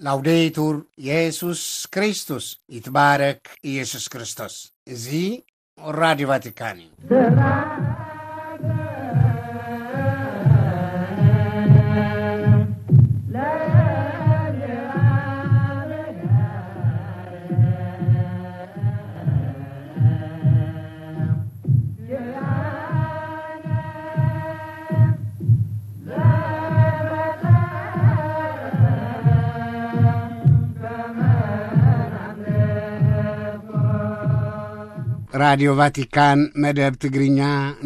ላውዴቱር የሱስ ክርስቶስ፣ ይትባረክ ኢየሱስ ክርስቶስ። እዚ ራዲዮ ቫቲካን እዩ። ራዲዮ ቫቲካን መደብ ትግርኛ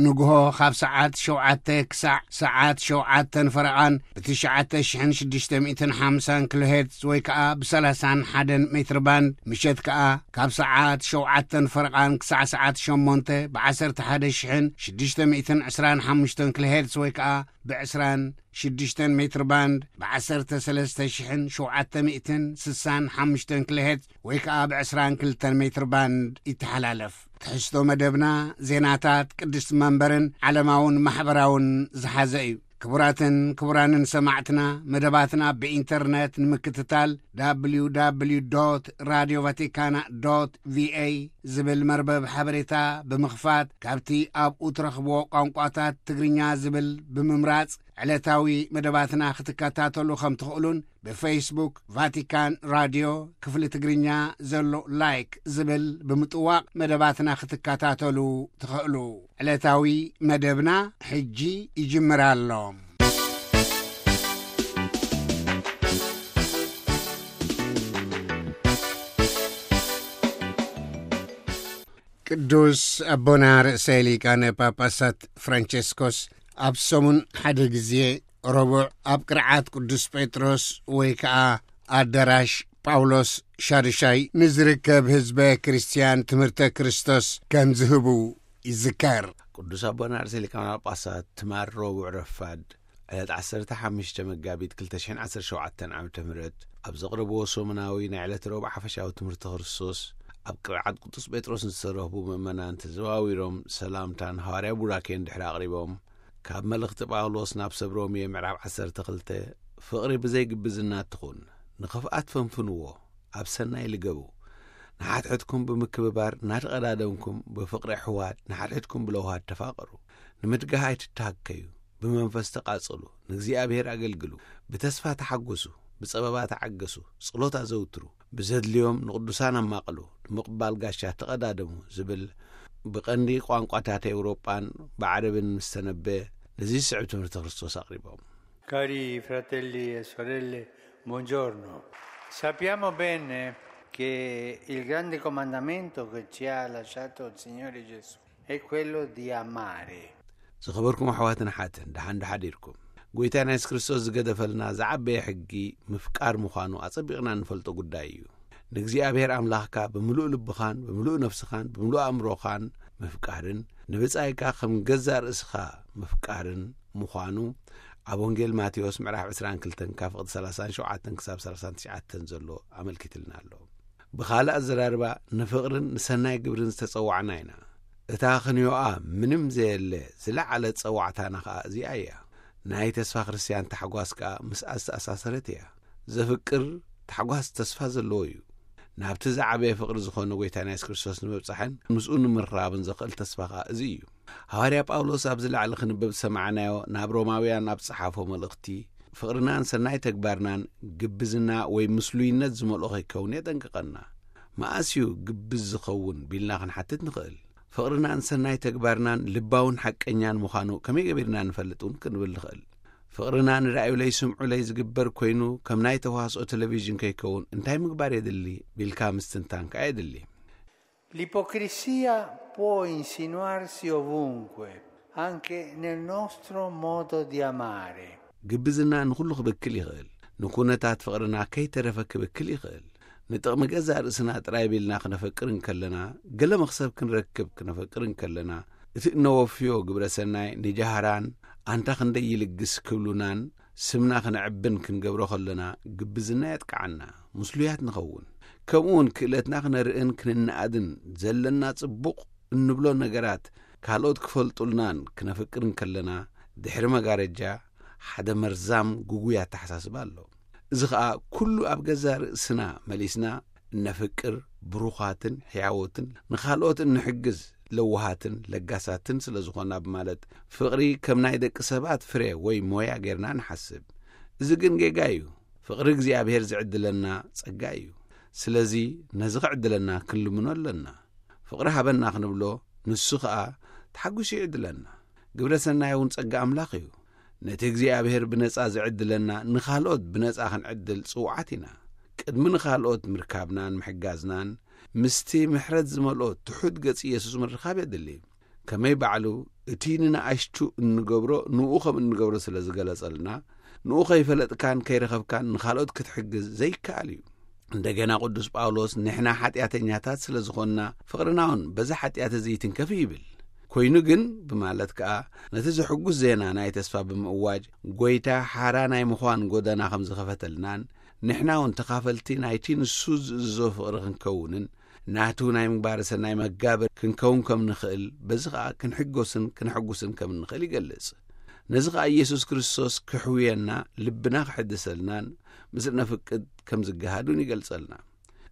ንግሆ ካብ ሰዓት ሸውዓተ ክሳዕ ሰዓት ሸውዓተን ፈረቓን ብትሽዓተ ሽሕን ሽዱሽተ ሚእትን ሓምሳን ኪሎ ሄርትዝ ወይ ከኣ ብሰላሳን ሓደን ሜትር ባንድ፣ ምሸት ከኣ ካብ ሰዓት ሸውዓተን ፈረቓን ክሳዕ ሰዓት ሸሞንተ ብዓሰርተ ሓደ ሽሕን ሽዱሽተ ሚእትን ዕስራን ሓሙሽተን ኪሎ ሄርትዝ ወይ ከኣ ብዕስራን ሽዱሽተን ሜትር ባንድ ብዓሰርተ ሰለስተ ሽሕን ሸውዓተ ሚእትን ስሳን ሓሙሽተን ኪሎ ሄርትዝ ወይ ከኣ ብዕስራን ክልተን ሜትር ባንድ ይተሓላለፍ። ትሕዝቶ መደብና ዜናታት ቅድስቲ መንበርን ዓለማውን ማሕበራውን ዝሓዘ እዩ። ክቡራትን ክቡራንን ሰማዕትና፣ መደባትና ብኢንተርነት ንምክትታል፣ www radio vaticana ቪኤ ዝብል መርበብ ሓበሬታ ብምኽፋት፣ ካብቲ ኣብኡ ትረኽብዎ ቋንቋታት ትግርኛ ዝብል ብምምራጽ ዕለታዊ መደባትና ክትከታተሉ ከም ትኽእሉን፣ ብፌስቡክ ቫቲካን ራድዮ ክፍሊ ትግርኛ ዘሎ ላይክ ዝብል ብምጥዋቕ መደባትና ክትከታተሉ ትኽእሉ። ዕለታዊ መደብና ሕጂ ይጅምር ኣሎ። ቅዱስ ኣቦና ርእሰ ሊቃነ ጳጳሳት ፍራንቸስኮስ ኣብ ሰሙን ሓደ ግዜ ረቡዕ ኣብ ቅርዓት ቅዱስ ጴጥሮስ ወይ ከኣ ኣዳራሽ ጳውሎስ ሻድሻይ ንዝርከብ ህዝበ ክርስትያን ትምህርተ ክርስቶስ ከም ዝህቡ ይዝከር። ቅዱስ ኣቦና ርእሰ ሊቃነ ጳጳሳት ትማል ረቡዕ ረፋድ ዕለት ዓሰርተ ሓሙሽተ መጋቢት ክልተ ሽሕን ዓሰርተ ሸውዓተን ዓመተ ምህረት ኣብ ዘቕረብዎ ሰሙናዊ ናይ ዕለት ረቡዕ ሓፈሻዊ ትምህርቲ ክርስቶስ፣ ኣብ ቅርዓት ቅዱስ ጴጥሮስ ንዝተረኽቡ ምእመናን ተዘዋዊሮም ሰላምታን ሃዋርያ ቡራኬን ድሕሪ ኣቕሪቦም፣ ካብ መልእኽቲ ጳውሎስ ናብ ሰብ ሮሜ ምዕራፍ ዓሰርተ ክልተ፣ ፍቕሪ ብዘይ ግብዝና ትኹን፣ ንኽፍኣት ፈንፍንዎ፣ ኣብ ሰናይ ልገቡ፣ ንሓድሕድኩም ብምክብባር እናተቐዳደምኩም፣ ብፍቕሪ ኣሕዋት ንሓድሕድኩም ብለውሃት ተፋቐሩ፣ ንምድጋህ ኣይትተሃከዩ፣ ብመንፈስ ተቓጸሉ፣ ንእግዚኣብሔር ኣገልግሉ፣ ብተስፋ ተሓጎሱ፣ ብጸበባ ተዓገሱ፣ ጸሎት ኣዘውትሩ፣ ብዘድልዮም ንቕዱሳን ኣማቕሉ፣ ንምቕባል ጋሻ ተቐዳደሙ ዝብል ብቐንዲ ቋንቋታት ኤውሮጳን ብዓረብን ምስ ተነበ፣ ነዚ ዝስዕብ ትምህርቲ ክርስቶስ ኣቕሪቦም። Cari fratelli e sorelle, buongiorno. Sappiamo bene che il grande comandamento che ci ha lasciato il Signore Gesù è quello di amare. ዝኸበርኩም ኣሕዋትን ኣሓትን፣ ደሓን ዶ ሓዲርኩም? ጎይታና የሱስ ክርስቶስ ዝገደፈልና ዝዓበየ ሕጊ ምፍቃር ምዃኑ ኣጸቢቕና እንፈልጦ ጉዳይ እዩ። ንእግዚኣብሔር ኣምላኽካ ብምሉእ ልብኻን ብምሉእ ነፍስኻን ብምሉእ ኣእምሮኻን ምፍቃርን፣ ንብጻይካ ከም ገዛእ ርእስኻ ምፍቃርን ምዃኑ ኣብ ወንጌል ማቴዎስ ምዕራፍ ዕስራን ክልተን ካብ ፍቕዲ ሰላሳን ሸውዓተን ክሳብ ሰላሳን ትሽዓተን ዘሎ ኣመልኪትልና ኣሎ። ብኻልእ ኣዘራርባ፣ ንፍቕርን ንሰናይ ግብርን ዝተጸዋዕና ኢና። እታ ክንዮኣ ምንም ዘየለ ዝለዓለት ጸዋዕታና ኸኣ እዚኣ እያ። ናይ ተስፋ ክርስትያን ታሕጓስ ከኣ ምስኣ ዝተኣሳሰረት እያ። ዘፍቅር ታሕጓስ ተስፋ ዘለዎ እዩ። ናብቲ ዝዓበየ ፍቕሪ ዝኾነ ጎይታና የሱስ ክርስቶስ ንምብጻሕን ምስኡ ንምርኻብን ዘኽእል ተስፋ ኸኣ እዚ እዩ። ሃዋርያ ጳውሎስ ኣብዚ ላዕሊ ክንብብ ዝሰማዕናዮ ናብ ሮማውያን ኣብ ዝጸሓፎ መልእኽቲ፣ ፍቕርናን ሰናይ ተግባርናን ግብዝና ወይ ምስሉይነት ዝመልኦ ከይከውን የጠንቅቐና። መኣስ እዩ ግብዝ ዝኸውን ቢልና ክንሓትት ንኽእል። ፍቕርናን ሰናይ ተግባርናን ልባውን ሓቀኛን ምዃኑ ከመይ ገቢርና ንፈልጥ እውን ክንብል ንኽእል። ፍቕርና ንርኣዩለይ ስምዑለይ ዝግበር ኮይኑ፣ ከም ናይ ተዋስኦ ቴሌቪዥን ከይከውን እንታይ ምግባር የድሊ ቢልካ ምስትንታን ከኣ የድሊ። L'ipocrisia può insinuarsi ovunque, anche nel nostro modo di amare. ግብዝና ንኹሉ ክብክል ይኽእል። ንኩነታት ፍቕርና ከይተረፈ ክብክል ይኽእል። ንጥቕሚ ገዛእ ርእስና ጥራይ ቢልና ክነፈቅር እንከለና፣ ገለ መኽሰብ ክንረክብ ክነፈቅር እንከለና፣ እቲ እነወፍዮ ግብረ ሰናይ ንጃህራን ኣንታ ክንደይ ይልግስ ክብሉናን ስምና ክነዕብን ክንገብሮ ከለና፣ ግብዝና የጥቅዓና፣ ምስሉያት ንኸውን። ከምኡውን ክእለትና ክነርእን ክንነኣድን፣ ዘለና ጽቡቕ እንብሎ ነገራት ካልኦት ክፈልጡልናን ክነፍቅር እንከለና፣ ድሕሪ መጋረጃ ሓደ መርዛም ግጉይ ኣተሓሳስባ ኣሎ። እዚ ኸኣ ኩሉ ኣብ ገዛ ርእስና መሊስና እነፍቅር፣ ብሩኻትን ሕያዎትን፣ ንኻልኦት እንሕግዝ፣ ለዋሃትን ለጋሳትን ስለ ዝኾና ብማለት፣ ፍቕሪ ከም ናይ ደቂ ሰባት ፍሬ ወይ ሞያ ጌርና ንሓስብ። እዚ ግን ጌጋ እዩ። ፍቕሪ እግዚኣብሔር ዝዕድለና ጸጋ እዩ። ስለዚ ነዚ ክዕድለና ክንልምኖ ኣለና። ፍቕሪ ሃበና ክንብሎ፣ ንሱ ኸኣ ተሓጒሱ ይዕድለና። ግብረ ሰናይ እውን ጸጋ ኣምላኽ እዩ። ነቲ እግዚኣብሔር ብነጻ ዝዕድለና፣ ንኻልኦት ብነጻ ክንዕድል ጽውዓት ኢና። ቅድሚ ንኻልኦት ምርካብናን ምሕጋዝናን፣ ምስቲ ምሕረት ዝመልኦ ትሑት ገጽ ኢየሱስ ምርኻብ የድሊ። ከመይ ባዕሉ እቲ ንንኣሽቱ እንገብሮ፣ ንኡ ከም እንገብሮ ስለ ዝገለጸልና፣ ንኡ ከይፈለጥካን ከይረኸብካን ንኻልኦት ክትሕግዝ ዘይከኣል እዩ። እንደገና ቅዱስ ጳውሎስ፣ ንሕና ሓጢኣተኛታት ስለ ዝኾንና፣ ፍቕርና እውን በዚ ሓጢኣት እዚ ይትንከፍ ይብል። ኮይኑ ግን፣ ብማለት ከኣ፣ ነቲ ዘሕጉስ ዜና ናይ ተስፋ ብምእዋጅ፣ ጐይታ ሓራ ናይ ምዃን ጐደና ከም ዝኸፈተልናን፣ ንሕና እውን ተኻፈልቲ ናይቲ ንሱ ዝእዝዞ ፍቕሪ ክንከውንን፣ ናቱ ናይ ምግባረ ሰናይ መጋብር ክንከውን ከም ንኽእል፣ በዚ ኸኣ ክንሕጎስን ክነሐጉስን ከም እንኽእል ይገልጽ። ነዚ ኸኣ ኢየሱስ ክርስቶስ ክሕውየና፣ ልብና ክሕድሰልናን ምስ እነፍቅድ ከም ዝገሃዱን ይገልጸልና።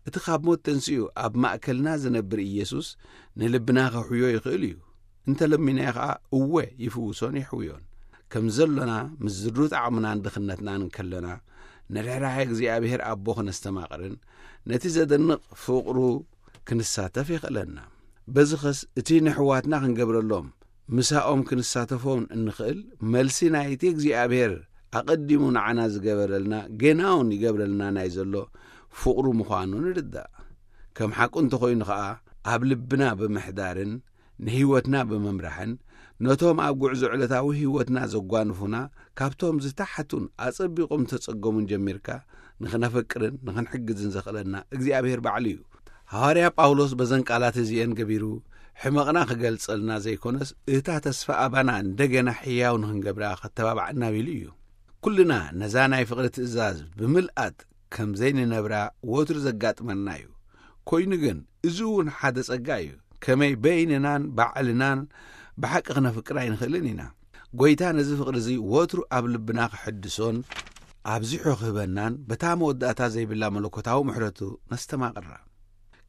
እቲ ካብ ሞት ተንሲኡ ኣብ ማእከልና ዝነብር ኢየሱስ ንልብና ከሕውዮ ይኽእል እዩ። እንተ ለሚናዮ ኸኣ፣ እወ፣ ይፍውሶን ይሕውዮን። ከም ዘሎና ምስ ዝሩት ዓቕምናን ድኽነትናን እንከለና፣ ንርሕራሐ እግዚኣብሔር ኣቦ ክነስተማቕርን ነቲ ዘደንቕ ፍቕሩ ክንሳተፍ የኽእለና። በዚ ኸስ እቲ ንሕዋትና ክንገብረሎም፣ ምሳኦም ክንሳተፎም እንኽእል መልሲ ናይቲ እግዚኣብሔር ኣቐዲሙ ንዓና ዝገበረልና፣ ጌናውን ይገብረልና ናይ ዘሎ ፍቕሩ ምዃኑ ንርዳእ። ከም ሓቁ እንተኾይኑ ኸኣ፣ ኣብ ልብና ብምሕዳርን ንህይወትና ብምምራሕን፣ ነቶም ኣብ ጉዕዞ ዕለታዊ ህይወትና ዘጓንፉና፣ ካብቶም ዝተሓቱን ኣጸቢቖም ዝተጸገሙን ጀሚርካ፣ ንኽነፈቅርን ንኽንሕግዝን ዘኽእለና እግዚኣብሔር ባዕሉ እዩ። ሃዋርያ ጳውሎስ በዘን ቃላት እዚኤን ገቢሩ፣ ሕመቕና ክገልጸልና ዘይኮነስ፣ እታ ተስፋ ኣባና እንደገና ሕያው ንኽንገብራ ከተባብዓና ቢሉ እዩ። ኩልና ነዛ ናይ ፍቕሪ ትእዛዝ ብምልኣት ከም ዘይንነብራ ወትሩ ዘጋጥመና እዩ። ኮይኑ ግን፣ እዚ እውን ሓደ ጸጋ እዩ። ከመይ በይንናን ባዕልናን ብሓቂ ክነፍቅር ኣይንኽእልን ኢና። ጐይታ ነዚ ፍቕሪ እዚ ወትሩ ኣብ ልብና ክሕድሶን ኣብዚሑ ክህበናን፣ በታ መወዳእታ ዘይብላ መለኮታዊ ምሕረቱ ነስተማቕራ።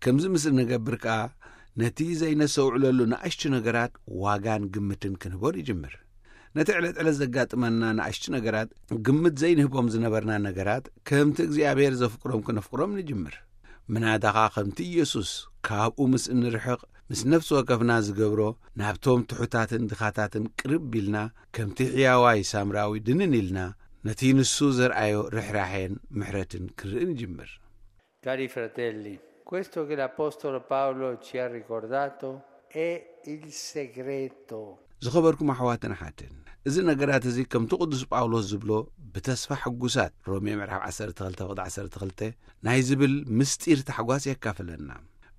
ከምዚ ምስ እንገብር ከኣ፣ ነቲ ዘይነስተውዕለሉ ንኣሽቱ ነገራት ዋጋን ግምትን ክንህቦ ንጅምር። ነቲ ዕለት ዕለት ዘጋጥመና ንኣሽቱ ነገራት፣ ግምት ዘይንህቦም ዝነበርና ነገራት፣ ከምቲ እግዚኣብሔር ዘፍቅሮም ክነፍቅሮም ንጅምር። ምናዳኻ ከምቲ ኢየሱስ ካብኡ ምስ እንርሕቕ፣ ምስ ነፍሲ ወከፍና ዝገብሮ፣ ናብቶም ትሑታትን ድኻታትን ቅርብ ኢልና፣ ከምቲ ሕያዋይ ሳምራዊ ድንን ኢልና፣ ነቲ ንሱ ዘርኣዮ ርሕራሔን ምሕረትን ክንርኢ ንጅምር። Cari fratelli, questo che l'Apostolo Paolo ci ha ricordato è il segreto. ዝኸበርኩም ኣሕዋትን ኣሓትን፣ እዚ ነገራት እዚ ከምቲ ቅዱስ ጳውሎስ ዝብሎ፣ ብተስፋ ሕጉሳት፣ ሮሜ ምዕራፍ ዓሰርተ ክልተ ፍቕዲ ዓሰርተ ክልተ፣ ናይ ዝብል ምስጢር ታሕጓስ የካፍለና።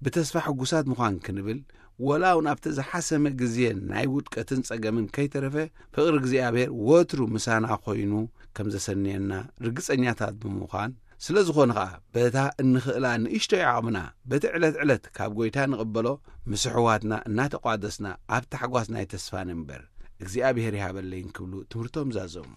ብተስፋ ሕጉሳት ምዃን ክንብል፣ ወላ እውን ኣብቲ ዝሓሰመ ግዜ ናይ ውድቀትን ጸገምን ከይተረፈ፣ ፍቕሪ እግዚኣብሔር ወትሩ ምሳና ኮይኑ ከም ዘሰንየና ርግጸኛታት ብምዃን፣ ስለ ዝኾነ ኸኣ፣ በታ እንኽእላ ንእሽቶይ ዓቕምና፣ በቲ ዕለት ዕለት ካብ ጐይታ ንቕበሎ፣ ምስ ኣሕዋትና እናተቋደስና፣ ኣብ ታሕጓስ ናይ ተስፋ ንንበር። እግዚኣብሔር ይሃበለይን ክብሉ ትምህርቶም ዛዘሙ።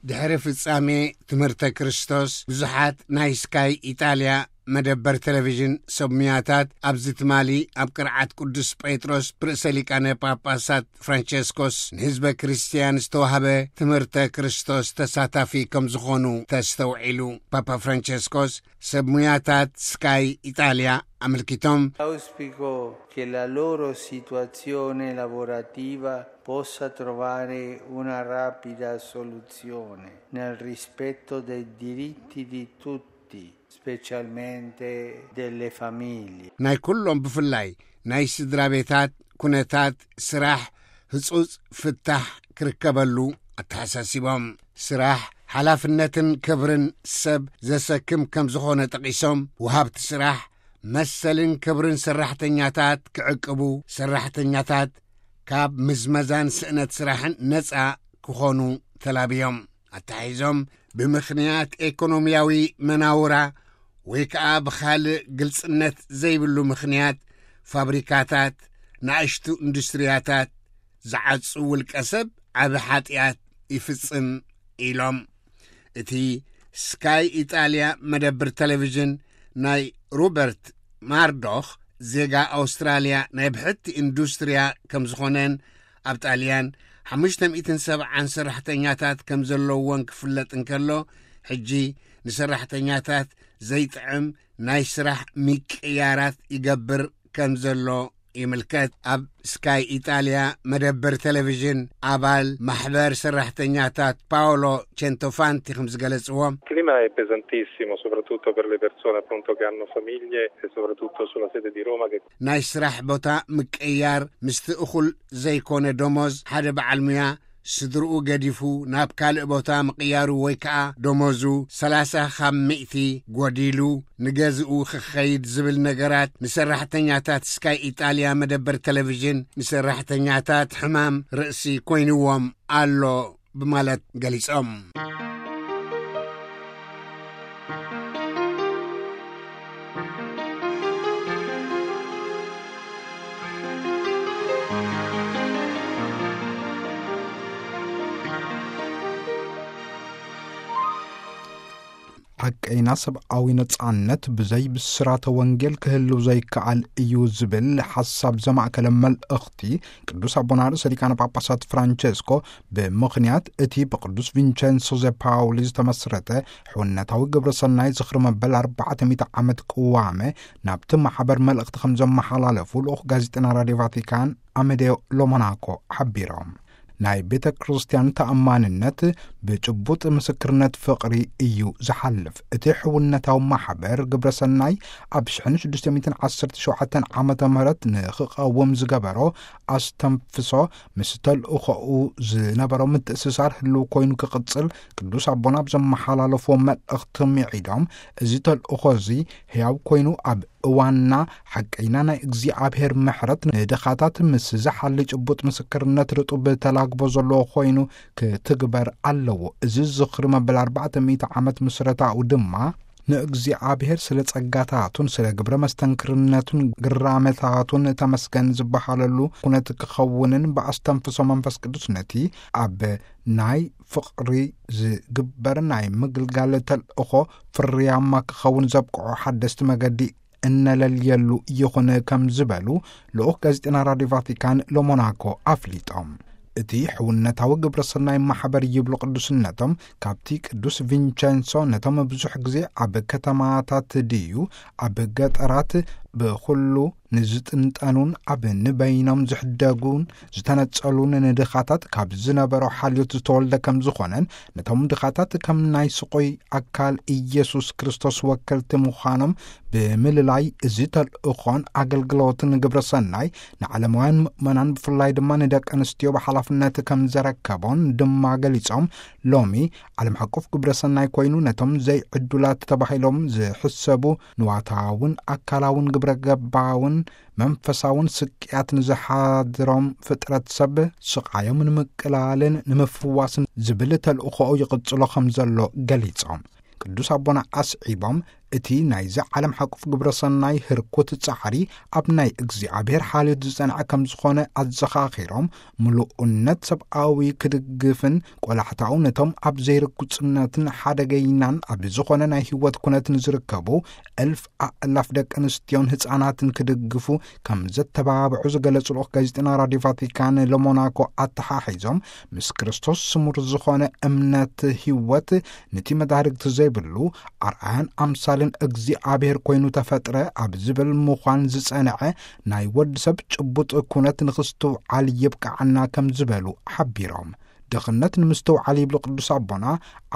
ድሕሪ ፍጻሜ ትምህርተ ክርስቶስ፣ ብዙሓት ናይ ስካይ ኢጣልያ መደበር ቴሌቪዥን ሰብ ሙያታት፣ ኣብዚ ትማሊ ኣብ ቅርዓት ቅዱስ ጴጥሮስ ብርእሰ ሊቃነ ጳጳሳት ፍራንቸስኮስ ንህዝበ ክርስትያን ዝተዋህበ ትምህርተ ክርስቶስ ተሳታፊ ከም ዝኾኑ ተስተውዒሉ። ፓፓ ፍራንቸስኮስ ሰብ ሙያታት ስካይ ኢጣልያ ኣመልኪቶም፣ Auspico che la loro situazione lavorativa possa trovare una rapida soluzione nel rispetto dei diritti di tutti, specialmente delle famiglie. ናይ ኩሎም፣ ብፍላይ ናይ ስድራ ቤታት ኩነታት ስራሕ ህጹጽ ፍታሕ ክርከበሉ ኣተሓሳሲቦም። ስራሕ ሓላፍነትን ክብርን ሰብ ዘሰክም ከም ዝኾነ ጠቒሶም፣ ወሃብቲ ስራሕ መሰልን ክብርን ሰራሕተኛታት ክዕቅቡ፣ ሰራሕተኛታት ካብ ምዝመዛን ስእነት ስራሕን ነጻ ክኾኑ ተላብዮም። ኣተሓሒዞም፣ ብምኽንያት ኤኮኖምያዊ መናውራ ወይ ከኣ ብኻልእ ግልጽነት ዘይብሉ ምኽንያት፣ ፋብሪካታት፣ ንኣሽቱ ኢንዱስትርያታት ዝዓጹ ውልቀ ሰብ ዓቢ ሓጢኣት ይፍጽም ኢሎም። እቲ ስካይ ኢጣልያ መደብር ቴሌቪዥን ናይ ሮበርት ማርዶኽ ዜጋ ኣውስትራልያ ናይ ብሕቲ ኢንዱስትርያ ከም ዝኾነን ኣብ ጣልያን ሓሙሽተ ሚእትን ሰብዓን ሰራሕተኛታት ከም ዘለውዎን ክፍለጥ እንከሎ፣ ሕጂ ንሰራሕተኛታት ዘይጥዕም ናይ ስራሕ ምቅያራት ይገብር ከም ዘሎ ይምልከት። ኣብ ስካይ ኢጣልያ መደብር ቴሌቪዥን ኣባል ማሕበር ሰራሕተኛታት ፓውሎ ቸንቶፋንቲ ከም ዝገለጽዎ፣ Il clima è pesantissimo, soprattutto per le persone appunto che hanno famiglie e soprattutto sulla sede di Roma che ናይ ስራሕ ቦታ ምቅያር ምስቲ እኹል ዘይኮነ ደሞዝ ሓደ በዓል ሙያ ስድርኡ ገዲፉ ናብ ካልእ ቦታ ምቕያሩ ወይ ከኣ ደሞዙ ሰላሳ ካብ ሚእቲ ጎዲሉ ንገዝኡ ክኸይድ ዝብል ነገራት ንሰራሕተኛታት ስካይ ኢጣልያ መደበር ቴሌቪዥን ንሰራሕተኛታት ሕማም ርእሲ ኮይንዎም ኣሎ ብማለት ገሊጾም። ሓቀይና ሰብኣዊ ነጻነት ብዘይ ብስራተ ወንጌል ክህልው ዘይከኣል እዩ ዝብል ሓሳብ ዘማእከለ መልእኽቲ ቅዱስ ኣቦና ርእሰ ሊቃነ ጳጳሳት ፍራንቸስኮ ብምኽንያት እቲ ብቅዱስ ቪንቸንሶ ዘ ፓውሊ ዝተመስረተ ሕውነታዊ ግብረ ሰናይ ዝኽሪ መበል ኣርባዕተ ሚእቲ ዓመት ቅዋመ ናብቲ ማሕበር መልእኽቲ ከም ዘመሓላለፉ ልኡኽ ጋዜጠና ራድዮ ቫቲካን ኣመዴዮ ሎሞናኮ ሓቢሮም። ናይ ቤተ ክርስቲያን ተኣማንነት ብጭቡጥ ምስክርነት ፍቕሪ እዩ ዝሓልፍ። እቲ ሕውነታዊ ማሕበር ግብረ ሰናይ ኣብ ሽሕን ሽዱሽተ ሚእትን ዓሰርተ ሸውዓተን ዓመተ ምህረት ንኽቐውም ዝገበሮ ኣስተንፍሶ ምስ ተልእኾኡ ዝነበሮ ምትእስሳር ህልው ኮይኑ ክቕጽል ቅዱስ ኣቦና ኣብ ዘመሓላለፍዎ መልእኽቲ ምዒዶም፣ እዚ ተልእኾ እዚ ህያው ኮይኑ ኣብ እዋንና ሓቀይና ናይ እግዚኣብሔር ምሕረት ንድኻታት ምስ ዝሓሊ ጭቡጥ ምስክርነት ርጡብ ተላግቦ ዘለዎ ኮይኑ ክትግበር ኣለዎ። እዚ ዝኽሪ መበል ኣርባዕተ ሚእቲ ዓመት ምስረታኡ ድማ ንእግዚኣብሔር ስለ ጸጋታቱን ስለ ግብረ መስተንክርነቱን ግራመታቱን ተመስገን ዝበሃለሉ ኩነት ክኸውንን ብኣስተንፍሶ መንፈስ ቅዱስ ነቲ ኣብ ናይ ፍቕሪ ዝግበር ናይ ምግልጋል ተልእኾ ፍርያማ ክኸውን ዘብቅዖ ሓደስቲ መገዲ እነለልየሉ ይኹን ከም ዝበሉ ልኡኽ ጋዜጠና ራድዮ ቫቲካን ሎሞናኮ ኣፍሊጦም። እቲ ሕውነታዊ ግብረ ሰናይ ማሕበር ይብሉ ቅዱስነቶም ካብቲ ቅዱስ ቪንቸንሶ ነቶም ብዙሕ ግዜ ኣብ ከተማታት ድዩ ኣብ ገጠራት ብኹሉ ንዝጥንጠኑን ኣብ ንበይኖም ዝሕደጉን ዝተነጸሉን ንድኻታት ካብ ዝነበሮ ሓልዮት ዝተወልደ ከም ዝኾነን ነቶም ድኻታት ከም ናይ ስቑይ ኣካል ኢየሱስ ክርስቶስ ወከልቲ ምዃኖም ብምልላይ እዚ ተልእኾን ኣገልግሎትን ግብረ ሰናይ ንዓለማውያን ምእመናን ብፍላይ ድማ ንደቂ ኣንስትዮ ብሓላፍነት ከም ዘረከቦን ድማ ገሊጾም፣ ሎሚ ዓለም ሓቆፍ ግብረ ሰናይ ኮይኑ ነቶም ዘይዕዱላት ተባሂሎም ዝሕሰቡ ንዋታውን ኣካላውን ግብረ ገባውን መንፈሳውን ስቅያት ንዝሓድሮም ፍጥረት ሰብ ስቓዮም ንምቅላልን ንምፍዋስን ዝብል ተልእኾኡ ይቕጽሎ ከም ዘሎ ገሊጾም። ቅዱስ ኣቦና ኣስዒቦም እቲ ናይዚ ዓለም ሓቁፍ ግብረ ሰናይ ህርኩት ጻዕሪ ኣብ ናይ እግዚኣብሔር ሓልዮት ዝጸንዐ ከም ዝኾነ ኣዘኻኺሮም፣ ምሉእነት ሰብኣዊ ክድግፍን ቆላሕታኡ ነቶም ኣብ ዘይርጉጽነትን ሓደገይናን ኣብ ዝኾነ ናይ ህይወት ኩነትን ዝርከቡ እልፍ ኣእላፍ ደቂ ኣንስትዮን ህጻናትን ክድግፉ ከም ዘተባብዑ ዝገለጹ ልኡኽ ጋዜጠና ራድዮ ቫቲካን ለሞናኮ ኣተሓሒዞም፣ ምስ ክርስቶስ ስሙር ዝኾነ እምነት ህይወት ነቲ መዳርግቲ ዘይብሉ ኣርኣያን ኣምሳልን እግዚኣብሔር ኮይኑ ተፈጥረ ኣብ ዝብል ምዃን ዝጸንዐ ናይ ወዲ ሰብ ጭቡጥ ኩነት ንኽስትውዓል ይብቅዓና ከም ዝበሉ ሓቢሮም። ድኽነት ንምስትውዓል ይብሉ ቅዱስ ኣቦና፣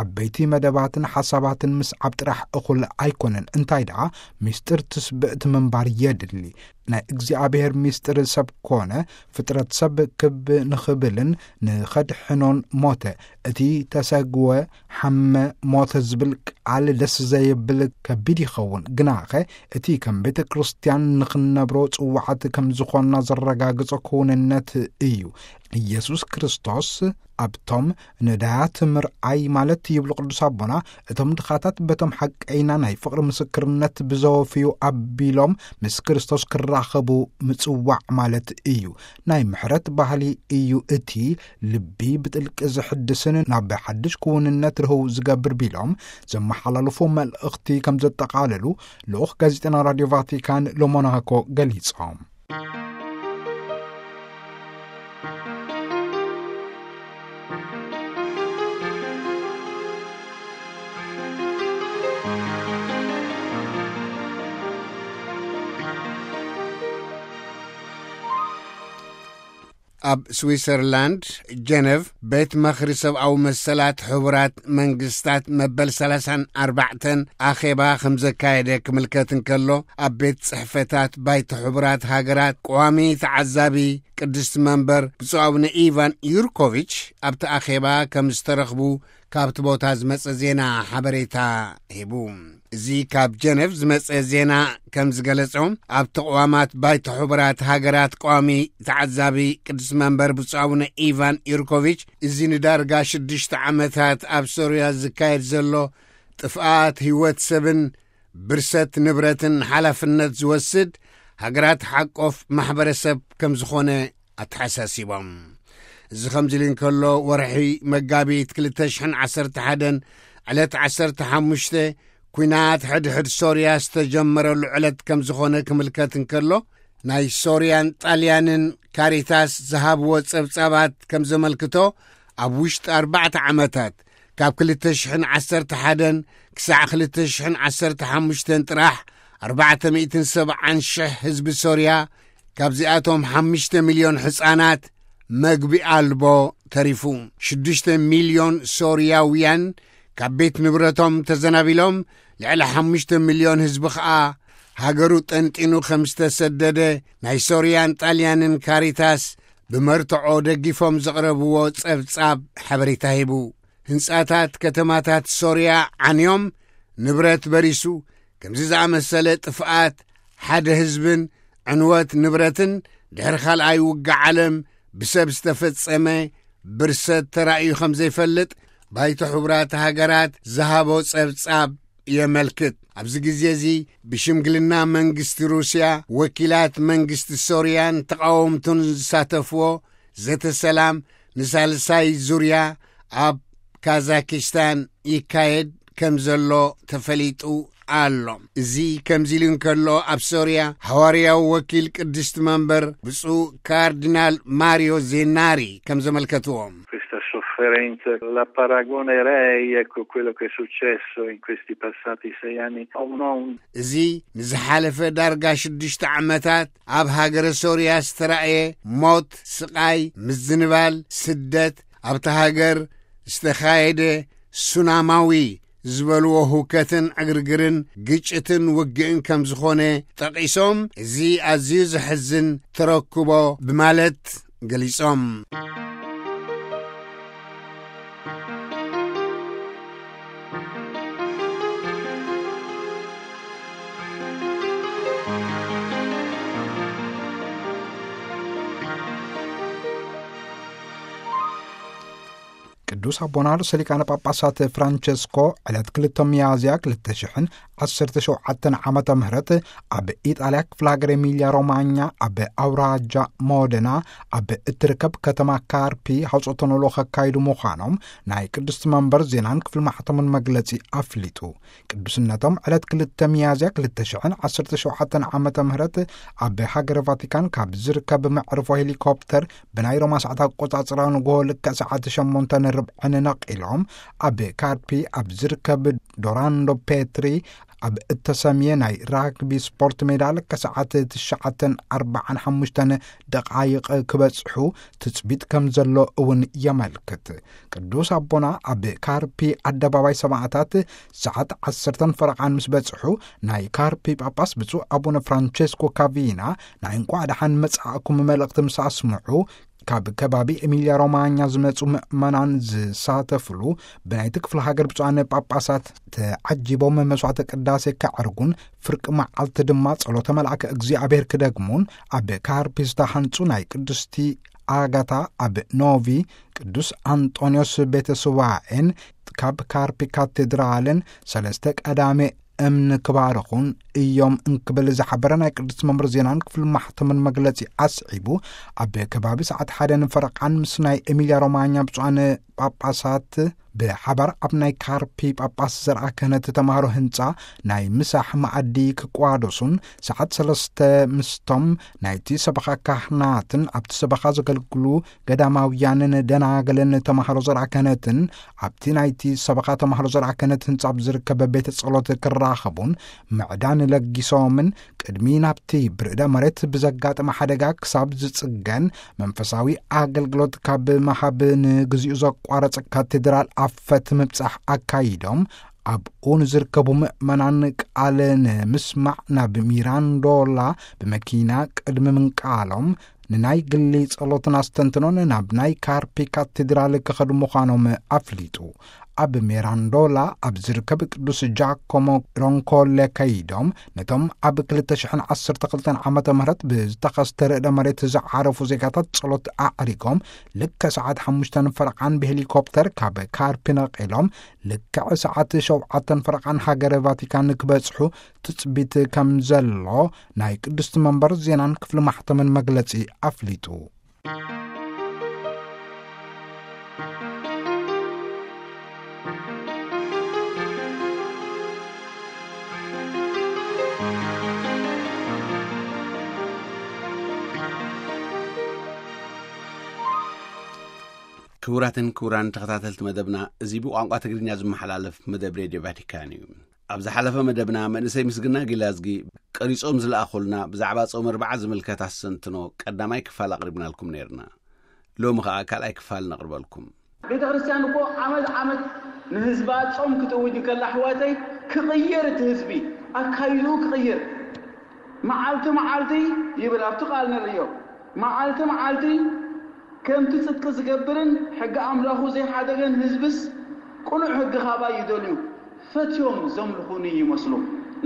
ዓበይቲ መደባትን ሓሳባትን ምስዓብ ጥራሕ እኹል ኣይኮነን፣ እንታይ ደኣ ምስጢር ትስብእቲ ምንባር የድሊ። ናይ እግዚኣብሔር ምስጢር ሰብ ኮነ፣ ፍጥረት ሰብ ክብ ንኽብልን ንኸድሕኖን ሞተ። እቲ ተሰግወ ሓመ ሞተ ዝብል ቃል ደስ ዘየብል ከቢድ ይኸውን፣ ግናኸ እቲ ከም ቤተ ክርስቲያን ንኽንነብሮ ጽዋዓት ከም ዝኾንና ዘረጋግጾ ክውንነት እዩ። ኢየሱስ ክርስቶስ ኣብቶም ነዳያት ምርኣይ ማለት ይብሉ ቅዱስ ኣቦና፣ እቶም ድኻታት በቶም ሓቀይና ናይ ፍቕሪ ምስክርነት ብዘወፍዩ ኣቢሎም ምስ ክርስቶስ ክራኸቡ ምጽዋዕ ማለት እዩ። ናይ ምሕረት ባህሊ እዩ እቲ ልቢ ብጥልቂ ዝሕድስን ናብ ሓድሽ ክውንነት ርህው ዝገብር ቢሎም ዘመሓላለፉ መልእኽቲ ከም ዘጠቓለሉ ልኡኽ ጋዜጠና ራድዮ ቫቲካን ሎሞናኮ ገሊጾም። ኣብ ስዊሰርላንድ ጀነቭ ቤት መኽሪ ሰብኣዊ መሰላት ሕቡራት መንግስታት መበል ሰላሳን ኣርባዕተን ኣኼባ ከም ዘካየደ ክምልከት እንከሎ፣ ኣብ ቤት ጽሕፈታት ባይቶ ሕቡራት ሃገራት ቀዋሚ ተዓዛቢ ቅድስቲ መንበር ብፁዕ ኣቡነ ኢቫን ዩርኮቪች ኣብቲ ኣኼባ ከም ዝተረኽቡ ካብቲ ቦታ ዝመጸ ዜና ሓበሬታ ሂቡ። እዚ ካብ ጀነቭ ዝመጸ ዜና ከም ዝገለጾ፣ ኣብ ተቕዋማት ባይቶ ሕቡራት ሃገራት ቀዋሚ ተዓዛቢ ቅዱስ መንበር ብፁዕ ኣቡነ ኢቫን ዩርኮቪች፣ እዚ ንዳርጋ ሽዱሽተ ዓመታት ኣብ ሶርያ ዝካየድ ዘሎ ጥፍኣት ህይወት ሰብን ብርሰት ንብረትን ሓላፍነት ዝወስድ ሃገራት ሓቆፍ ማሕበረሰብ ከም ዝኾነ ኣተሓሳሲቦም። እዚ ከምዚ ኢሉ እንከሎ፣ ወርሒ መጋቢት ክልተ ሽሕን ዓሰርተ ሓደን ዕለት ዓሰርተ ሓሙሽተ፣ ኲናት ሕድሕድ ሶርያ ዝተጀመረሉ ዕለት ከም ዝኾነ ክምልከት እንከሎ፣ ናይ ሶርያን ጣልያንን ካሪታስ ዝሃብዎ ጸብጻባት ከም ዘመልክቶ፣ ኣብ ውሽጢ ኣርባዕተ ዓመታት፣ ካብ ክልተ ሽሕን ዓሰርተ ሓደን ክሳዕ ክልተ ሽሕን ዓሰርተ ሓሙሽተን ጥራሕ፣ ኣርባዕተ ሚእትን ሰብዓን ሽሕ ህዝቢ ሶርያ፣ ካብዚኣቶም ሓሙሽተ ሚልዮን ሕጻናት፣ መግቢ ኣልቦ ተሪፉ። ሽዱሽተ ሚልዮን ሶርያውያን ካብ ቤት ንብረቶም ተዘናቢሎም፣ ልዕሊ ሓሙሽተ ሚልዮን ህዝቢ ኸኣ ሃገሩ ጠንጢኑ ከም ዝተሰደደ፣ ናይ ሶርያን ጣልያንን ካሪታስ ብመርትዖ ደጊፎም ዘቕረብዎ ጸብጻብ ሓበሬታ ሂቡ። ህንጻታት ከተማታት ሶርያ ዓንዮም፣ ንብረት በሪሱ። ከምዚ ዝኣመሰለ ጥፍኣት ሓደ ህዝብን ዕንወት ንብረትን ድሕሪ ካልኣይ ውግእ ዓለም ብሰብ ዝተፈጸመ ብርሰት ተራእዩ ከም ዘይፈልጥ ባይቶ ሕቡራት ሃገራት ዝሃቦ ጸብጻብ የመልክት። ኣብዚ ግዜ እዚ ብሽምግልና መንግስቲ ሩስያ፣ ወኪላት መንግስቲ ሶርያን ተቓወምቱን ዝሳተፍዎ ዘተ ሰላም ንሳልሳይ ዙርያ ኣብ ካዛኪስታን ይካየድ ከም ዘሎ ተፈሊጡ ኣሎ። እዚ ከምዚ ኢሉ እንከሎ፣ ኣብ ሶርያ ሃዋርያዊ ወኪል ቅድስቲ መንበር ብፁዕ ካርዲናል ማሪዮ ዜናሪ ከም ዘመልከትዎ፣ Questa sofferenza la paragonerei, ecco, quello che è successo in questi passati sei anni a un, a un እዚ ንዝሓለፈ ዳርጋ ሽዱሽተ ዓመታት ኣብ ሃገረ ሶርያ ዝተራእየ ሞት፣ ስቓይ፣ ምዝንባል፣ ስደት፣ ኣብታ ሃገር ዝተኻየደ ሱናማዊ ዝበልዎ ሁከትን ዕግርግርን ግጭትን ውግእን ከም ዝኾነ ጠቒሶም፣ እዚ ኣዝዩ ዘሕዝን ተረክቦ ብማለት ገሊጾም። ቅዱስ ኣቦና ርእሰ ሊቃነ ጳጳሳት ፍራንቸስኮ ዕለት ክልተ ሚያዝያ ክልተ ሽሕን ዓሰርተ ሸውዓተን ዓመተ ምህረት ኣብ ኢጣልያ ክፍለ ሃገር ኤሚልያ ሮማኛ ኣብ ኣውራጃ ሞደና ኣብ እትርከብ ከተማ ካርፒ ሐውጾተ ኖሎ ከካይዱ ምዃኖም ናይ ቅድስቲ መንበር ዜናን ክፍሊ ማሕተሙን መግለጺ ኣፍሊጡ። ቅዱስነቶም ዕለት ክልተ ሚያዝያ ክልተ ሽሕን ዓሰርተ ሸውዓተን ዓመተ ምህረት ኣብ ሃገረ ቫቲካን ካብ ዝርከብ መዕርፎ ሄሊኮፕተር ብናይ ሮማ ሰዓት ኣቆጻጽራ ንግሆ ልክዕ ሰዓት ሸሞንተን ርብዕን ነቒሎም ኣብ ካርፒ ኣብ ዝርከብ ዶራንዶ ፔትሪ ኣብ እተሰምየ ናይ ራግቢ ስፖርት ሜዳ ልክዕ ሰዓት ትሽዓተን ኣርባዓን ሓሙሽተን ደቓይቕ ክበጽሑ ትጽቢት ከም ዘሎ እውን የመልክት። ቅዱስ ኣቦና ኣብ ካርፒ ኣደባባይ ሰማእታት ሰዓት ዓሰርተን ፈረቓን ምስ በጽሑ፣ ናይ ካርፒ ጳጳስ ብፁዕ ኣቡነ ፍራንቸስኮ ካቪና ናይ እንቋዕ ደሓን መጻእኩም መልእኽቲ ምስ ኣስምዑ፣ ካብ ከባቢ ኤሚልያ ሮማኛ ዝመጹ ምእመናን ዝሳተፍሉ ብናይቲ ክፍለ ሃገር ብፁዓን ጳጳሳት ተዓጂቦም መስዋዕተ ቅዳሴ ከዕርጉን ፍርቂ መዓልቲ ድማ ጸሎተ መልኣከ እግዚኣብሔር ክደግሙን ኣብ ካርፒ ዝተሃንጹ ናይ ቅድስቲ ኣጋታ ኣብ ኖቪ ቅዱስ ኣንጦንዮስ ቤተ ስዋኤን ካብ ካርፒ ካቴድራልን ሰለስተ ቀዳሜ እምኒ ክባርኹን እዮም እንክብል ዝሓበረ ናይ ቅዱስ መምር ዜናን ክፍል ማሕተምን መግለጺ ኣስዒቡ፣ ኣብ ከባቢ ሰዓት ሓደ ንፈረቓን ምስ ናይ ኤሚልያ ሮማኛ ብፁዓን ጳጳሳት ብሓባር ኣብ ናይ ካርፒ ጳጳስ ዘርኣ ክህነት ተማሃሮ ህንጻ ናይ ምሳሕ መኣዲ ክቋደሱን፣ ሰዓት ሰለስተ ምስቶም ናይቲ ሰበኻ ካህናትን ኣብቲ ሰበኻ ዘገልግሉ ገዳማውያንን ደናገልን ተማሃሮ ዘርኣ ክህነትን ኣብቲ ናይቲ ሰበኻ ተማሃሮ ዘርኣ ክህነት ህንጻ ኣብ ዝርከብ ቤተ ጸሎት ክራኸቡን ምዕዳን ለጊሶምን፣ ቅድሚ ናብቲ ብርዕደ መሬት ብዘጋጠመ ሓደጋ ክሳብ ዝጽገን መንፈሳዊ ኣገልግሎት ካብ መሃብ ንግዚኡ ዘቋረጸ ካቴድራል ኣፈት ምብጻሕ ኣካይዶም፣ ኣብኡ ንዝርከቡ ምእመናን ቃል ንምስማዕ ናብ ሚራንዶላ ብመኪና ቅድሚ ምንቃሎም፣ ንናይ ግሊ ጸሎትን ኣስተንትኖን ናብ ናይ ካርፒ ካቴድራል ክኸዱ ምዃኖም ኣፍሊጡ። ኣብ ሜራንዶላ ኣብ ዝርከብ ቅዱስ ጃኮሞ ሮንኮለ ከይዶም፣ ነቶም ኣብ ክልተ ሽሕን ዓሰርተ ክልተን ዓመተ ምህረት ብዝተኸስተ ርዕደ መሬት ዝዓረፉ ዜጋታት ጸሎት ኣዕሪጎም፣ ልክዕ ሰዓት ሓሙሽተ ፈረቓን ብሄሊኮፕተር ካብ ካርፒ ነቒሎም፣ ልክዕ ሰዓት ሸውዓተ ፈረቓን ሃገረ ቫቲካን ክበጽሑ ትጽቢት ከም ዘሎ ናይ ቅድስቲ መንበር ዜናን ክፍሊ ማሕተምን መግለጺ ኣፍሊጡ። ክቡራትን ክቡራን ተኸታተልቲ መደብና፣ እዚ ብቋንቋ ትግርኛ ዝመሓላለፍ መደብ ሬድዮ ቫቲካን እዩ። ኣብ ዝሓለፈ መደብና፣ መንእሰይ ምስግና ጊላዝጊ ቀሪጾም ዝለኣኹልና ብዛዕባ ጾም ኣርብዓ ዝምልከት ኣስተንትኖ ቀዳማይ ክፋል ኣቕሪብናልኩም ነይርና። ሎሚ ኸኣ ካልኣይ ክፋል ነቕርበልኩም። ቤተ ክርስቲያን እኮ ዓመት ዓመት ንህዝባ ጾም ክትእውጅ እንከላ፣ ኣሕዋተይ፣ ክቕየር፣ እቲ ህዝቢ ኣካይድኡ ክቕየር። መዓልቲ መዓልቲ ይብል ኣብቲ ቃል ንርእዮ። መዓልቲ መዓልቲ ከምቲ ጽድቂ ዝገብርን ሕጊ ኣምላኹ ዘይሓደገን ህዝብስ ቅኑዕ ሕጊ ካባይ ይደልዩ። ፈትዮም ዘምልኹኒ ይመስሉ።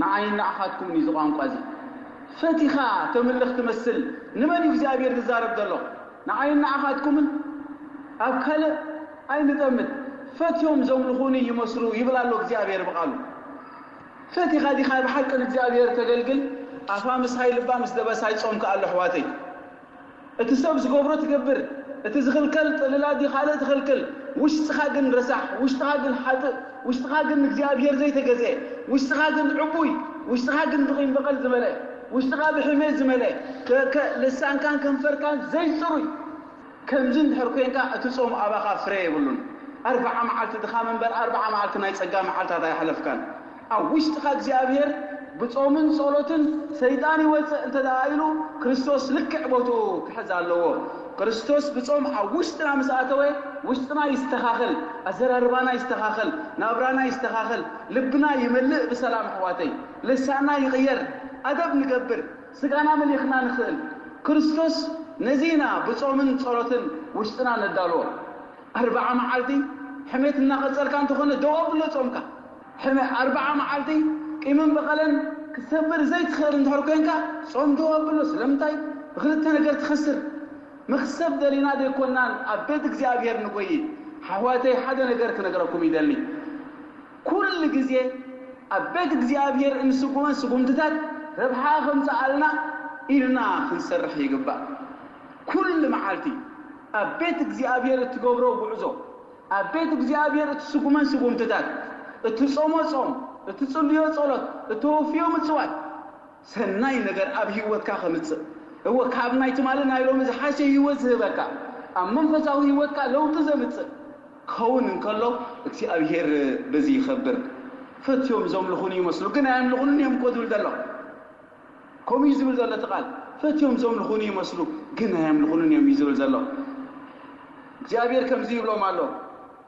ንዓይን ንዓኻትኩምን እዩ እዚ ቋንቋ እዚ። ፈቲኻ ተምልኽ ትመስል። ንመን እዩ እግዚኣብሔር ዝዛረብ ዘሎ? ንዓይን ንዓኻትኩምን? ኣብ ካልእ ኣይንጠምት። ፈትዮም ዘምልኹኒ ይመስሉ ይብል ኣሎ እግዚኣብሔር ብቓሉ። ፈቲኻ ዲኻ ብሓቂ ንእግዚኣብሔር ተገልግል? ኣፋ ምሳይ ልባ ምስ ደበሳይ ጾምካ ኣሎ ኣሕዋተይ። እቲ ሰብ ዝገብሮ ትገብር፣ እቲ ዝኽልከል ጥልላት ድዩ ካልእ ትኽልክል? ውሽጥኻ ግን ረሳሕ፣ ውሽጥኻ ግን ሓጥእ፣ ውሽጥኻ ግን ንእግዚኣብሔር ዘይተገዝአ፣ ውሽጥኻ ግን ዕቡይ፣ ውሽጥኻ ግን ብቂም በቐል ዝመልአ፣ ውሽጥኻ ብሕሜት ዝመልአ፣ ከ-፣ ከ-፣ ልሳንካን ከንፈርካን ዘይጽሩይ። ከምዚ እንድሕር ኮይንካ፣ እቲ ጾም ኣባኻ ፍረ የብሉን። ኣርብዓ መዓልቲ ድኻም እምበር፣ ኣርብዓ መዓልቲ ናይ ጸጋ መዓልታት ኣይሓለፍካን። ኣብ ውሽጥኻ እግዚኣብሔር ብጾምን ጸሎትን ሰይጣን ይወጽእ እንተ ደኣ ኢሉ፣ ክርስቶስ ልክዕ ቦትኡ ክሕዝ ኣለዎ። ክርስቶስ ብጾም ኣብ ውሽጥና ምስ ኣተወ፣ ውሽጥና ይስተኻኸል፣ ኣዘራርባና ይስተኻኸል፣ ናብራና ይስተኻኸል፣ ልብና ይመልእ ብሰላም ኣሕዋተይ። ልሳንና ይቕየር፣ ኣደብ ንገብር፣ ስጋና መሊኽና ንኽእል። ክርስቶስ ነዚ ኢና ብጾምን ጸሎትን ውሽጥና ነዳልዎ። ኣርብዓ መዓልቲ ሕሜት እናቐጸልካ እንተኾነ ደው ኣብሎ ጾምካ። ሕመ-፣ ኣርብዓ መዓልቲ ቂምን በቐለን ክትሰብር ዘይትኽእል እንድሕር ኮንካ ጾም ደው ኣብሎ። ስለምንታይ? ብኽልተ ነገር ትኸስር። መኽሰብ ደሊና ዘይኮናን ኣብ ቤት እግዚኣብሔር ንጎይ። ኣሕዋተይ፣ ሓደ ነገር ክነግረኩም ይደሊ። ኩሉ ግዜ ኣብ ቤት እግዚኣብሔር እንስጉመን ስጉምትታት ረብሓ ከምጽኣልና ኢልና ክንሰርሕ ይግባእ። ኩሉ መዓልቲ ኣብ ቤት እግዚኣብሔር እትገብሮ ጉዕዞ፣ ኣብ ቤት እግዚኣብሔር እትስጉመን ስጉምትታት፣ እትጾሞ ጾም፣ እትጽልዮ ጸሎት፣ እተወፍዮ ምጽዋት፣ ሰናይ ነገር ኣብ ህይወትካ ከምጽእ፣ እወ፣ ካብ ናይ ትማሊ ናይ ሎሚ ዝሓሸ ህይወት ዝህበካ፣ ኣብ መንፈሳዊ ህይወትካ ለውጢ ዘምጽእ ክኸውን እንከሎ፣ እግዚኣብሔር በዚ ይኸብር። ፈትዮም ዘምልኹኒ ይመስሉ፣ ግን ኣየምልኹንን እዮም እኮ ዝብል ዘሎ። ከምኡ እዩ ዝብል ዘሎ እቲ ቃል። ፈትዮም ዘምልኹኒ ይመስሉ፣ ግን ኣየምልኹንን እዮም እዩ ዝብል ዘሎ። እግዚኣብሔር ከምዚ ይብሎም ኣሎ፣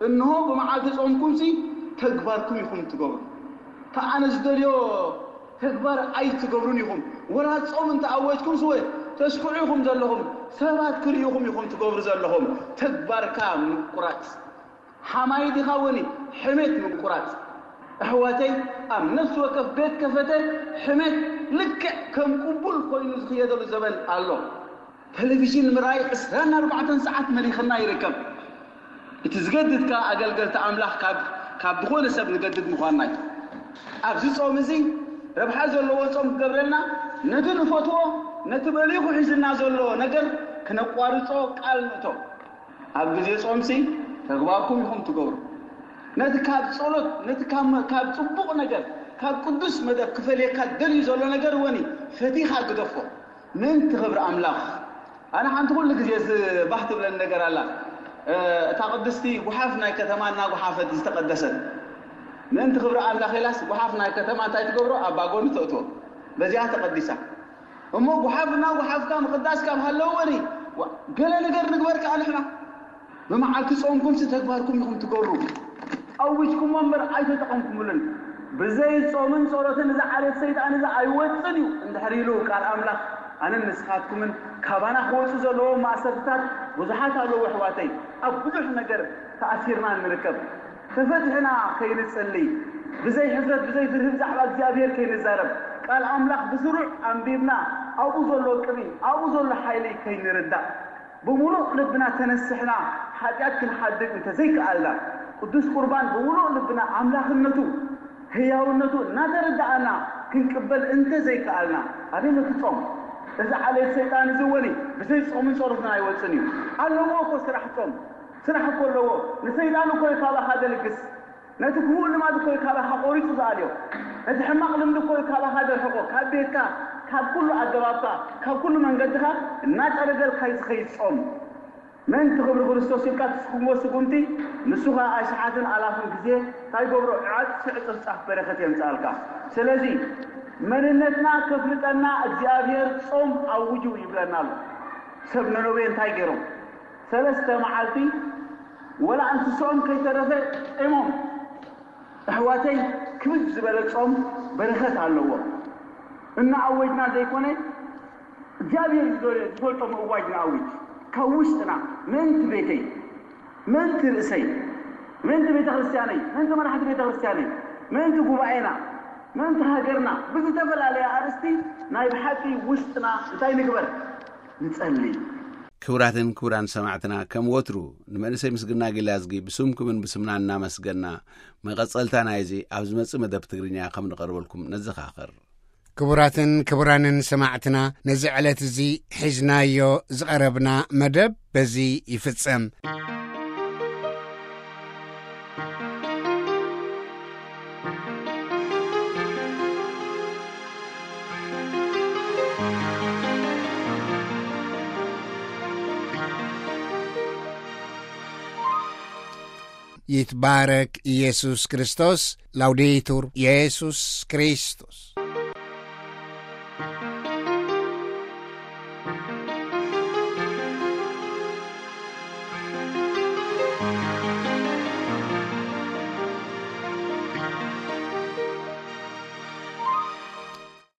"እንሆ፣ ብመዓልቲ ጾምኩምሲ ተግባርኩም ኢኹም ትገብሩ። እታ ኣነ ዝደልዮ ተግባር ኣይትገብሩን ኢኹም። ወላ ጾም እንተ ኣወጅኩምስ፣ ወ-፣ ተስክዑ ኢኹም ዘለኹም፣ ሰባት ክርእዩኹም ኢኹም ትገብሩ ዘለኹም። ተግባርካ ምቁራጽ። ሓማይ ዲኻ ወኒ ሕሜት ምቁራጽ?" ኣሕዋተይ፣ ኣብ ነፍሲ ወከፍ ቤት ከፈተ ሕሜት ልክዕ ከም ቅቡል ኮይኑ ዝኽየደሉ ዘበን ኣሎ። ቴሌቪዥን ምርኣይ ዕስራን ኣርባዕተን ሰዓት መሊኽና ይርከብ። እቲ ዝገድድ ከኣ ኣገልገልቲ ኣምላኽ ካብ ካብ ዝኾነ ሰብ ንገድድ ምዃንና እዩ። ኣብዚ ጾም እዚ ረብሓ ዘለዎ ጾም ክገብረልና፣ ነቲ ንፈትዎ፣ ነቲ መሊኹ ሒዝና ዘሎ ነገር ክነቋርጾ ቃል ንእቶ። ኣብ ግዜ ጾምሲ ተግባርኩም ኢኹም ትገብሩ። ነቲ ካብ ጸሎት፣ ነቲ ካብ መ-፣ ካብ ጽቡቕ ነገር፣ ካብ ቅዱስ መደብ ክፈልየካ ደልዩ ዘሎ ነገር ወኒ ፈቲኻ ግደፎ። ምእንቲ ክብሪ ኣምላኽ። ኣነ ሓንቲ ኩሉ ግዜ ዝ-፣ ባህ ትብለኒ ነገር ኣላ። እ፣ እታ ቅድስቲ ጉሓፍ ናይ ከተማ እናጉሓፈት ዝተቐደሰት። ምእንቲ ክብሪ ኣምላኽ ኢላስ ጉሓፍ ናይ ከተማ እንታይ ትገብሮ? ኣብ ባጎኒ ተእትዎ። በዚኣ ተቐዲሳ። እሞ ጉሓፍ እናጉሓፍካ ምቕዳስ ካብ ሃለዎ ወኒ፣ ዋ-፣ ገለ ነገር ንግበር ከኣ ንሕና። ብመዓልቲ ጾምኩምሲ ተግባርኩም ኢኹም ትገብሩ። ኣዊጅኩሞ እምበር ኣይተጠቐምኩምሉን። ብዘይ ጾምን ጸሎትን እዚ ዓሌት ሰይጣን እዚ ኣይወጽን እዩ እንድሕር ኢሉ ቃል ኣምላኽ፣ ኣነን ንስኻትኩምን ካባና ክወጹ ዘለዎም ማእሰርትታት ብዙሓት ኣለዉ ኣሕዋተይ። ኣብ ብዙሕ ነገር ተኣሲርና ንርከብ። ተፈቲሕና ከይንጽሊ፣ ብዘይ ሕፍረት ብዘይ ፍርሂ ብዛዕባ እግዚኣብሔር ከይንዛረብ፣ ቃል ኣምላኽ ብስሩዕ ኣንቢብና ኣብኡ ዘሎ ቅብኢ ኣብኡ ዘሎ ሓይሊ ከይንርዳእ፣ ብምሉእ ልብና ተነስሕና ሓጢኣት ክንሓድግ እንተዘይከኣልና፣ ቅዱስ ቁርባን ብምሉእ ልብና ኣምላኽነቱ ህያውነቱ እናተረዳኣና ክንቅበል እንተዘይከኣልና፣ ኣበይ ነቲ ጾም? እዚ ዓሌት ሰይጣን እዚ ወኒ ብዘይ ጾምን ጸሎትን ኣይወጽን እዩ። ኣለዎ እኮ ስራሕ ጾም። ስራሕ እኮ ኣለዎ። ንሰይጣን እኮ እዩ ካባኻ ዘልግስ። ነቲ ክፉእ ልማድ እኮ እዩ ካባኻ ቆሪጹ ዝኣልዮ። ነቲ ሕማቕ ልምዲ እኮ እዩ ካባኻ ዘርሕቆ። ካብ ቤትካ፣ ካብ ኩሉ ኣገባብካ፣ ካብ ኩሉ መንገድኻ እናጸረገልካ እዩ ዝኸይድ ጾም። ምእንቲ ክብሪ ክርስቶስ ኢልካ ትስጉምዎ ስጉምቲ፣ ንሱ ኸኣ ኣሽሓትን ኣላፍን ግዜ እንታይ ይገብሮ? ዕጽ-፣ ዕጽፍጻፍ በረኸት የምጽኣልካ። ስለዚ መንነትና ከፍልጠና እግዚኣብሔር ጾም ኣውጁ ይብለና ኣሎ። ሰብ ነነዌ እንታይ ገይሮም? ሰለስተ መዓልቲ ወላ እንስሶኦም ከይተረፈ ጢሞም። ኣሕዋተይ፣ ክብድ ዝበለ ጾም በረኸት ኣለዎ። እናኣወጅና ዘይኮነ፣ እግዚኣብሔር ዝዶ-፣ ዝፈልጦ ምእዋጅ ንኣውጅ። ካብ ውሽጥና፣ ምእንቲ ቤተይ፣ ምእንቲ ርእሰይ፣ ምእንቲ ቤተ ክርስቲያነይ፣ ምእንቲ መራሕቲ ቤተ ክርስቲያነይ፣ ምእንቲ ጉባኤና፣ ምእንቲ ሃገርና፣ ብዝተፈላለየ ኣርእስቲ ናይ ብሓቂ ውሽጥና እንታይ ንግበር? ንጸሊ። ክቡራትን ክቡራን ሰማዕትና፣ ከም ወትሩ ንመንእሰይ ምስግና ጊላዝጊ ብስምኩምን ብስምና እናመስገና፣ መቐጸልታ ናይዚ ኣብ ዝመጽእ መደብ ትግርኛ ከም ንቐርበልኩም ነዘኻኽር። ክቡራትን ክቡራንን ሰማዕትና፣ ነዚ ዕለት እዚ ሒዝናዮ ዝቐረብና መደብ በዚ ይፍጸም። ይትባረክ ኢየሱስ ክርስቶስ። ላውዴቱር ኢየሱስ ክርስቶስ።